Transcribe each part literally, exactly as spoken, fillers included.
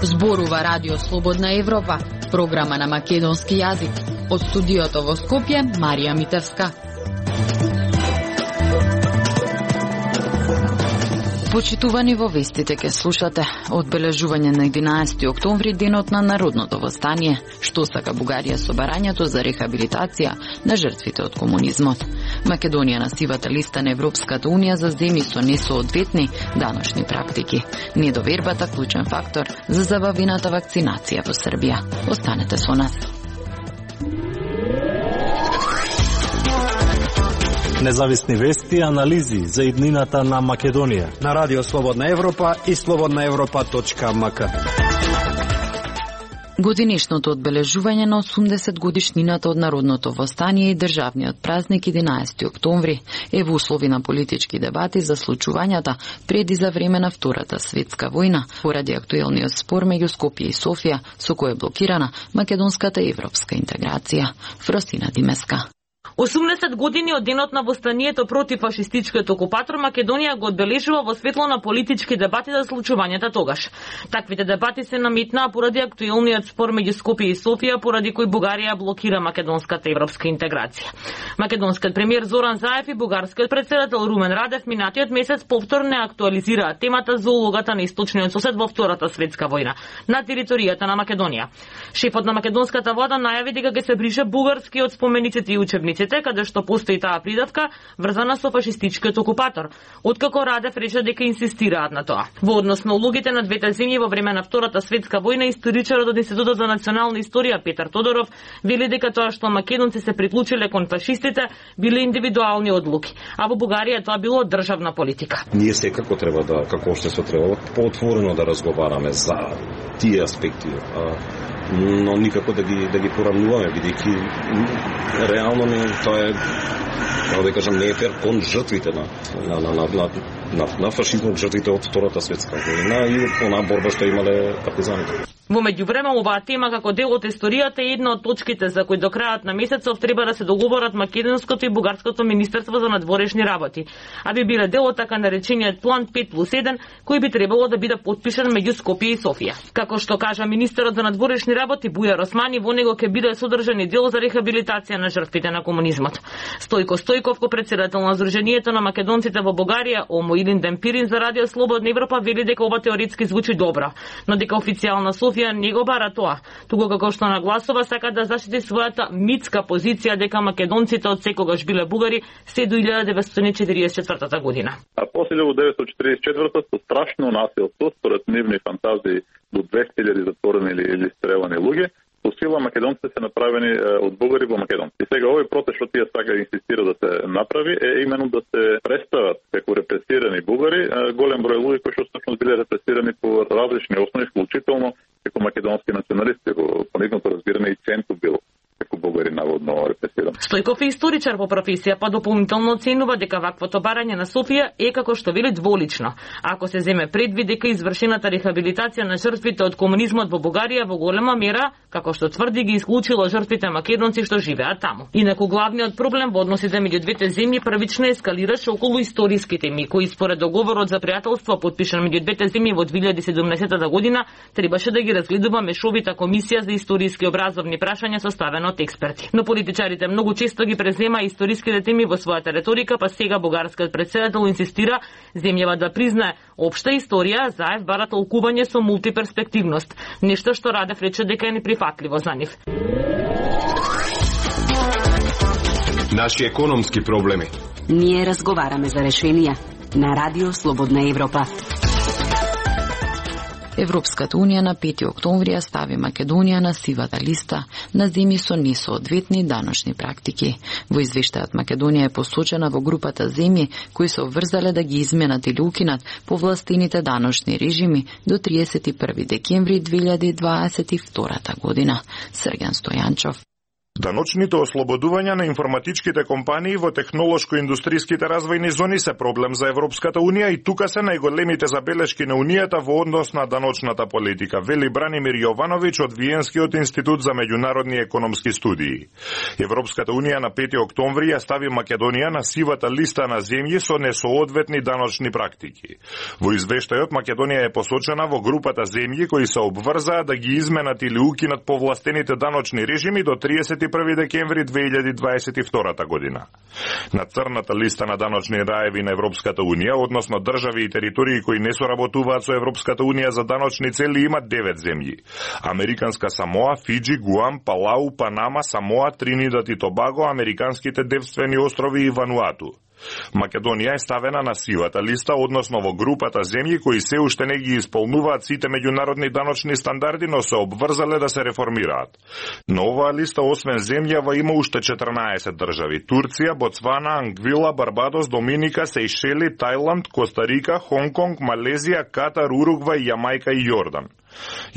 Зборува Радио Слободна Европа, програма на македонски јазик. Од студиото во Скопје, Марија Митевска. Почитувани, во вестите ке слушате одбележување на единаесети октомври, денот на народното востание, што сака Бугарија со барањето за рехабилитација на жртвите од комунизмот. Македонија на сивата листа на Европската унија за земји со несоодветни даношни практики. Недовербата клучен фактор за забавената вакцинација во Србија. Останете со нас. Независни вести и анализи за иднината на Македонија на Радио Слободна Европа и слободна европа точка ем ка. Годинишното одбележување на осумдесет годишнината од народното востание и државниот празник единаесети октомври е во услови на политички дебати за случувањата пред и за време на Втората светска војна, поради актуелниот спор меѓу Скопје и Софија, со кој е блокирана македонската европска интеграција. Фросина Димеска. осумдесет години од денот на востанието против фашистичкиот окупатор, Македонија го одбележува во светло на политички дебати за случувањата тогаш. Таквите дебати се наметнаа поради актуелниот спор меѓу Скопје и Софија, поради кој Бугарија блокира македонската европска интеграција. Македонскиот премиер Зоран Заев и бугарскиот председател Румен Радев минатиот месец повторно актуализираа темата за улогата на источниот сосед во Втората светска војна на територијата на Македонија. Шефот на македонската влада најави дека ќе се брише бугарски од спомениците и учебниците, каде што постои таа придавка врзана со фашистичкиот окупатор, откако Радев рече дека инсистираат на тоа. Во однос на улогите на двете земји во време на Втората светска војна, историчарот од Институтот за национална историја Петар Тодоров вели дека тоа што македонци се приклучиле кон фашистите биле индивидуални одлуки, а во Бугарија тоа било државна политика. Ние секако треба да, како општество, треба поотворено да разговараме за тие аспекти, но никако да ги да ги поравнуваме, бидејќи реално не тоа е, како да кажам, не е фер кон жртвите на на на на на, на фашизмот, жртвите од Втората светска војна и онаа борба што имале партизаните. Во меѓувреме, оваа тема како дел од историјата е една од точките за кои до крајот на месецов треба да се договорат македонското и бугарското министерство за надворешни работи, а би биле дел од така наречениот план пет плюс еден, кој би требало да биде потпишан меѓу Скопје и Софија. Како што кажа министерот за надворешни работи Бујар Османи, во него ќе биде содржан и дел за рехабилитација на жртвите на комунизмот. Стојко Стојков, ко председател на Сдруженијето на македонците во Бугарија, Омо Илин Демпирин за Радио Слободна Европа, вели дека ова теоретски звучи добро, но дека официјална Софија не го бара тоа, туку како што нагласува сака да заштити својата митска позиција дека македонците од секогаш биле бугари се до илјада деветстотини и четиридесет и четвртата година. А после илјада деветстотини и четиридесет и четвртата со страшно насилство, според нивни фантазии, до двесте илјади затворени или, или стрелани луѓе, по сила македонците се направени е, од бугари во македонци. И сега овој протест што тие сака инсистира да се направи е именно да се представат како репресирани бугари, е, голем број луѓе кои што всушност биле репресирани по различни основи, вклучително како македонски националисти, по нивното разбиране и Центу бил како бугари наводно репресиран. Стојков е историчар по професија, па дополнително оценува дека ваквото барање на Софија е, како што вели, дволично. Ако се земе предвид дека извршената рехабилитација на жртвите од комунизмот во Бугарија во голема мера, како што тврди, ги исклучило жртвите македонци што живеат таму. Инаку главниот проблем во односите меѓу двете земји првично ескалираше околу историски теми, кои според договорот за пријателство потпишан меѓу двете земји во две илјади и седумнаесетта година требаше да ги разгледува мешовита комисија за историски образовни прашања составена од експерти. Но политичарите многу често ги презема историските теми во својата реторика, па сега бугарскиот председател инсистира земјава да признае општа историја, Заев бара толкување со мултиперспективност, нешто што Радев рече дека е неприфатливо за нив. Наши економски проблеми. Ние разговараме за решенија на Радио Слободна Европа. Европската унија на пети октомври ја стави Македонија на сивата листа на земји со несоодветни даношни практики. Во извештајот Македонија е посочена во групата земји кои се обврзале да ги изменат или укинат повластените даношни режими до триесет и први декември две илјади дваесет и втора година. Срген Стојанчов. Даночните ослободувања на информатичките компании во технолошко-индустријските развојни зони се проблем за Европската Унија и тука се најголемите забелешки на Унијата во однос на даночната политика, вели Бранимир Јовановиќ од Виенскиот институт за меѓународни економски студии. Европската Унија на пети октомври ја стави Македонија на сивата листа на земји со несоодветни даночни практики. Во извештајот Македонија е посочена во групата земји кои се обврзаа да ги изменат или укинат повластените даночни режими до триесет и први декември две илјади дваесет и втора година. На црната листа на даночни раеви на Европската Унија, односно држави и територии кои не соработуваат со Европската Унија за даночни цели, имат девет земји: Американска Самоа, Фиџи, Гуам, Палау, Панама, Самоа, Тринидад и Тобаго, Американските девствени острови и Вануату. Македонија е ставена на сивата листа, односно во групата земји кои се уште не ги исполнуваат сите меѓународни даночни стандарди, но се обврзале да се реформираат. На оваа листа, освен земјава, има уште четрнаесет држави: Турција, Боцвана, Ангвила, Барбадос, Доминика, Сејшели, Тајланд, Коста-Рика, Хонг-Конг, Малезија, Катар, Уругвај, Јамајка и Јордан.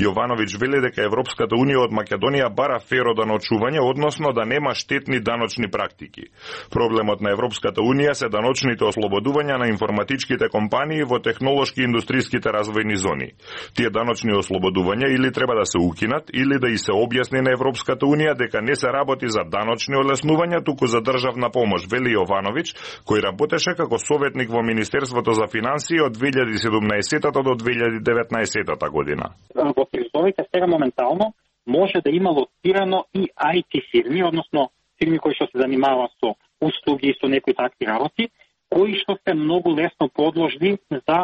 Јовановиќ вели дека Европската Унија од Македонија бара феро даночување, односно да нема штетни даночни практики. Проблемот на Европската Унија се даночните ослободувања на информатичките компании во технолошки и индустријските развојни зони. Тие даночни ослободувања или треба да се укинат, или да и се објасни на Европската Унија дека не се работи за даночни олеснувања, туку за државна помош, вели Јовановиќ, кој работеше како советник во Министерството за финансии од две илјади и седумнаесета до две илјади и деветнаесета година. Во призовите сега моментално може да има лоцирано и ај ти фирми, односно фирми кои што се занимаваат со услуги и со некои такви работи, кои што се многу лесно подложни за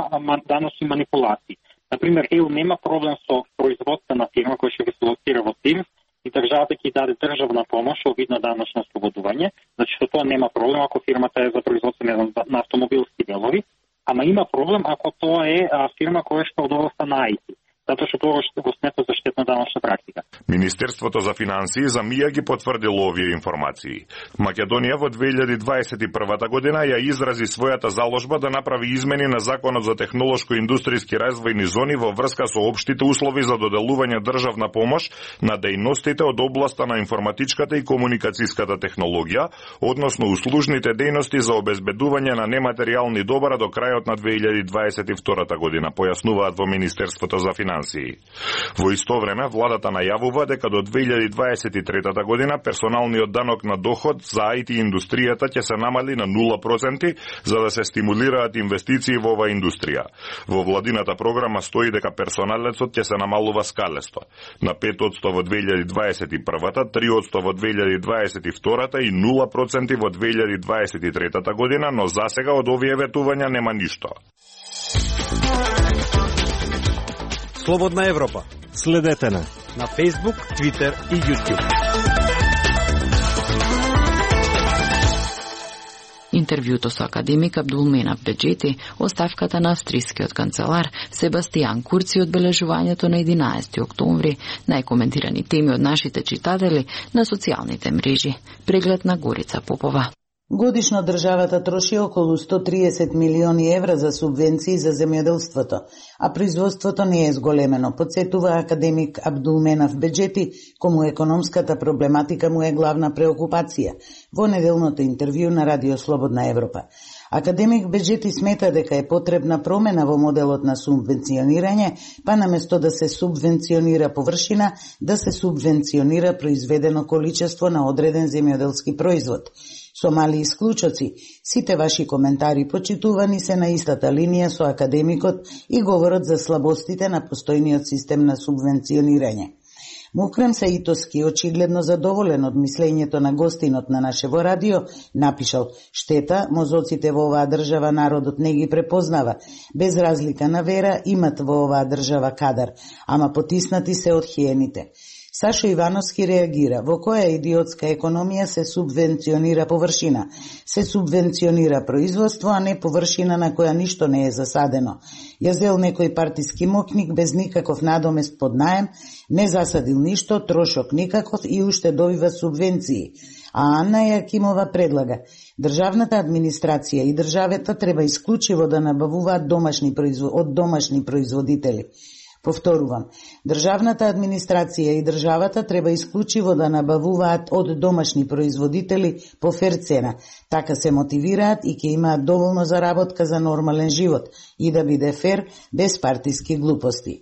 даночни манипулации. Например, ЕУ нема проблем со производствена фирма која ќе се лоцира во ТИР и државата ќе даде државна помош во вид на даночно ослободување, значи што тоа нема проблем ако фирмата е за производство на автомобилски делови, ама има проблем ако тоа е фирма која што од областа на ај ти. Затоа што тоа што го смета за штетна даночна практика. Министерството за финансии за мија ги потврдило овие информации. Македонија во две илјади дваесет и прва година ја изрази својата заложба да направи измени на Законот за технолошко-индустријски развојни зони во врска со општите услови за доделување државна помош на дејностите од областа на информатичката и комуникацијската технологија, односно услужните дејности за обезбедување на нематеријални добара до крајот на две илјади дваесет и втора година, појаснуваат во Министерството за финансии. Во исто време, владата најавува дека до две илјади дваесет и трета година персоналниот данок на доход за ај ти индустријата ќе се намали на нула проценти за да се стимулираат инвестиции во оваа индустрија. Во владината програма стои дека персоналецот ќе се намалува скалесто. На пет проценти во две илјади дваесет и прва, три проценти во две илјади дваесет и втора и нула проценти во две илјади дваесет и трета година, но засега од овие ветувања нема ништо. Слободна Европа. Следете на на Facebook, Twitter и YouTube. Интервјуто со академик Абдулменав Беџети, оставката на австрискиот канцелар Себастијан Курци, одбележувањето на единаесети октомври, најкоментирани теми од нашите читатели на социјалните мрежи. Преглед на Горица Попова. Годишно државата троши околу сто триесет милиони евра за субвенции за земјоделството, а производството не е зголемено, подсетува академик Абдулменав Беџети, кому економската проблематика му е главна преокупација, во неделното интервју на Радио Слободна Европа. Академик Беџети смета дека е потребна промена во моделот на субвенционирање, па наместо да се субвенционира површина, да се субвенционира произведено количество на одреден земјоделски производ. Со мали исклучоци, сите ваши коментари почитувани се на истата линија со академикот и говорот за слабостите на постојниот систем на субвенционирање. Мукрем Саитовски, очигледно задоволен од мислењето на гостинот на нашево радио, напишал: штета, мозоците во оваа држава народот не ги препознава. Без разлика на вера, имат во оваа држава кадар, ама потиснати се од хиените. Сашо Ивановски реагира: во која идиотска економија се субвенционира површина? Се субвенционира производство, а не површина на која ништо не е засадено. Ја зел некој партиски мокник без никаков надомест под наем, не засадил ништо, трошок никаков и уште добива субвенции. А Анна Јакимова предлага: државната администрација и државата треба исклучиво да набавуваат домашни производ... од домашни производители. Повторувам, државната администрација и државата треба исклучиво да набавуваат од домашни производители по фер цена, така се мотивираат и ќе имаат доволно заработка за нормален живот и да биде фер без партиски глупости.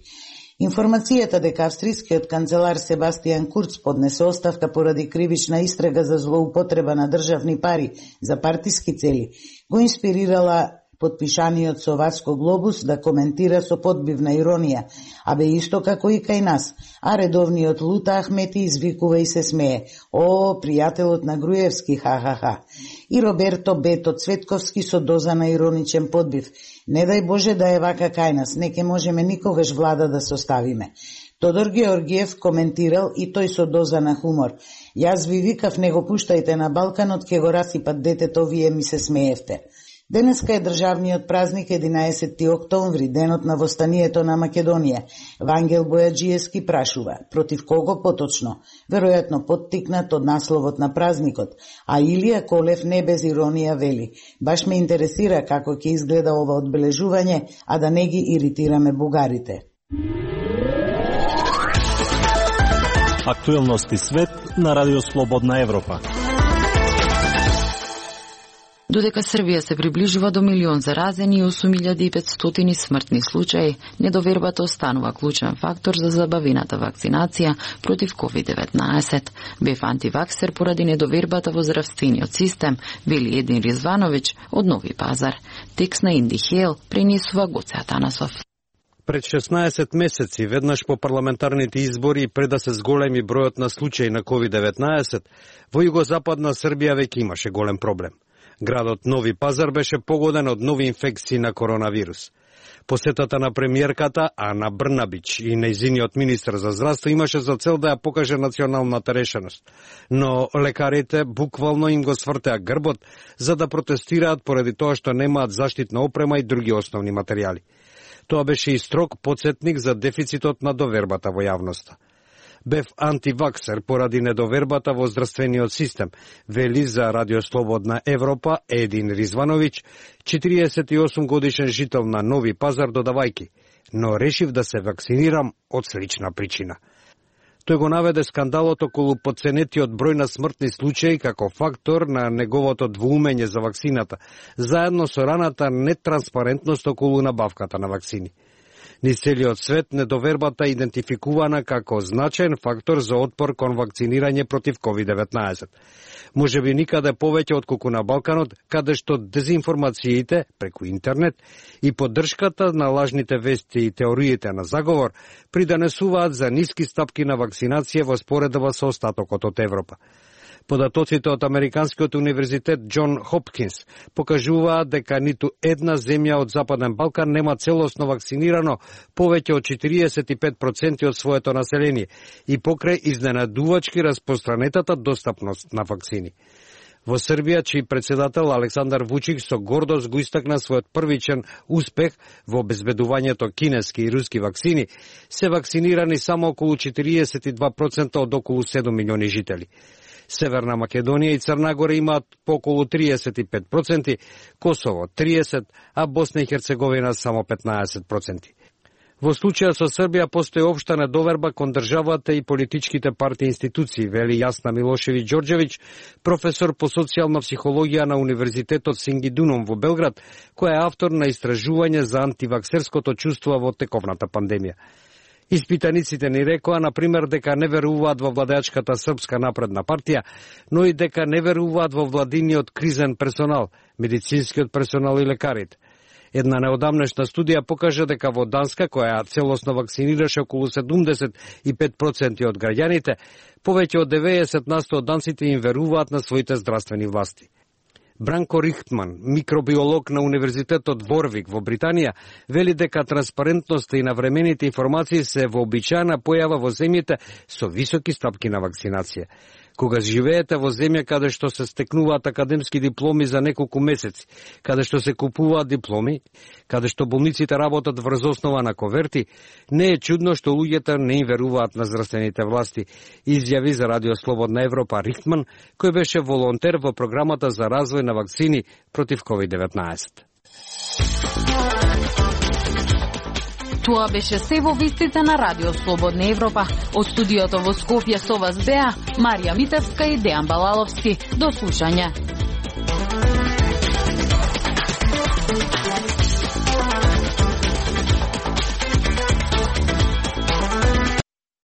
Информацијата дека австрискиот канцелар Себастијан Курц поднесе оставка поради кривична истрага за злоупотреба на државни пари за партиски цели, го инспирирала потпишаниот со Васко Глобус да коментира со подбивна иронија, а бе исто како и кај нас, а редовниот Лута Ахмети извикува и се смее: "О, пријателот на Груевски, ха-ха-ха." И Роберто Бето Цветковски со доза на ироничен подбив: "Не дај Боже да е вака кај нас, не ке можеме никогаш влада да составиме." Тодор Георгиев коментирал и тој со доза на хумор: "Јас ви викав, не го пуштајте на Балканот, ке го расипат детето, вие ми се смеевте." Денеска е државниот празник единаесетти октомври, денот на востанието на Македонија. Вангел Бојаджиевски прашува: против кого поточно? Веројатно поттикнат од насловот на празникот, а Илија Колев не без иронија вели: "Баш ме интересира како ќе изгледа ова одбележување, а да не ги иритираме бугарите." Актуелности свет на Радио Слободна Европа. Додека Србија се приближува до милион заразени и осум илјади и петстотини смртни случаи, недовербата останува клучен фактор за забавената вакцинација против ковид деветнаесет. Бев антиваксер поради недовербата во здравствениот систем, вели Един Ризвановиќ од Нови Пазар. Текст на Инди Хел пренесува Гоце Атанасов. Пред шеснаесет месеци, веднаш по парламентарните избори и пред да се зголеми бројот на случаи на ковид деветнаесет, во југозападна Србија веќе имаше голем проблем. Градот Нови Пазар беше погоден од нови инфекции на коронавирус. Посетата на премиерката Ана Брнабич и нејзиниот министар за здравство имаше за цел да ја покаже националната решеност. Но лекарите буквално им го свртеа грбот за да протестираат поради тоа што немаат заштитна опрема и други основни материјали. Тоа беше и строг потсетник за дефицитот на довербата во јавноста. Бев антиваксер поради недовербата во здравствениот систем, вели за Радио Слободна Европа Един Ризвановиќ, четириесет и осум годишен жител на Нови Пазар, додавајки: "Но решив да се вакцинирам од слична причина." Тој го наведе скандалот околу потценетиот број на смртни случаи како фактор на неговото двоумење за вакцината, заедно со раната нетранспарентност околу набавката на вакцини. Низ целиот свет недовербата е идентификувана како значаен фактор за отпор кон вакцинирање против ковид деветнаесет. Може би никаде повеќе отколку на Балканот, каде што дезинформациите преку интернет и поддршката на лажните вести и теориите на заговор придонесуваат за ниски стапки на вакцинација во споредба со остатокот од Европа. Податоците од Американскиот универзитет Џон Хопкинс покажуваат дека ниту една земја од Западен Балкан нема целосно вакцинирано повеќе од четириесет и пет проценти од своето население и покрај изненадувачки распространетата достапност на вакцини. Во Србија, чиј председател Александар Вучич со гордост го истакна својот првичен успех во обезбедувањето кинески и руски вакцини, се вакцинирани само околу четириесет и два проценти од околу седум милиони жители. Северна Македонија и Црна Гора имаат по околу триесет и пет проценти, Косово триесет проценти, а Босна и Херцеговина само петнаесет проценти. Во случајот со Србија постои општа недоверба кон државата и политичките партии и институции, вели Јасна Милошевиќ Ѓорѓевиќ, професор по социјална психологија на Универзитетот Синги Дуном во Белград, која е автор на истражување за антиваксерското чувство во тековната пандемија. Испитаниците ни рекоа, например, дека не веруваат во владеачката Српска напредна партија, но и дека не веруваат во владиниот кризен персонал, медицинскиот персонал и лекарите. Една неодамнешна студија покажа дека во Данска, која целосно вакцинираше околу седумдесет и пет проценти од граѓаните, повеќе од деветдесет на сто од данците им веруваат на своите здравствени власти. Бранко Рихтман, микробиолог на Универзитетот Ворвик во Британија, вели дека транспарентноста и навремените информации се вообичаена појава во земјите со високи стапки на вакцинација. Кога живеете во земја каде што се стекнуваат академски дипломи за неколку месеци, каде што се купуваат дипломи, каде што болниците работат врз основа на коверти, не е чудно што луѓето не им веруваат на здравствените власти, изјави за Радио Слободна Европа Рихтман, кој беше волонтер во програмата за развој на вакцини против ковид деветнаесет. Тоа беше се во вестите на Радио Слободна Европа. Од студиото во Скопје со вас беа Марија Митевска и Дејан Балаловски. До слушање.